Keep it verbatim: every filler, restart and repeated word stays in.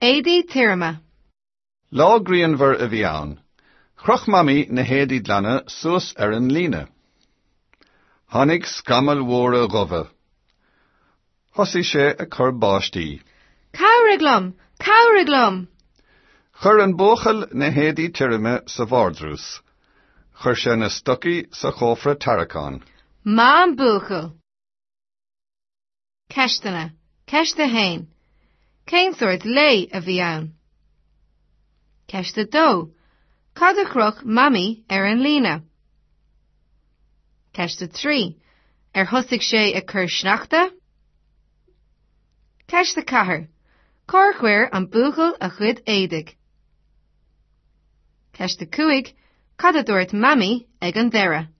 Éadaí tirime. Lá grianmhar a bhí ann. Chroch Mamaí na héadaí glana suas ar an líne. Tháinig scamaill mhóra dhubha. Thosaigh sé ag cur báistí. Cabhraigh liom! Cabhraigh liom! Chuir an buachaill na héadaí tirime sa vardrús. Chuir sé na stocaí sa chófra tarraiceáin. Maith an buachaill. Ceisteanna. Ceist a haon. Cén sórt lae a bhí ann? Ceist a dó. Cad a chroch Mamaí ar an líne? Ceist a trí. Ar thosaigh sé ag cur sneachta? Ceist a ceathair. Cár chuir an buachaill a chuid éadaigh? Ceist a cúig. Cad a dúirt Mamaí ag an deireadh?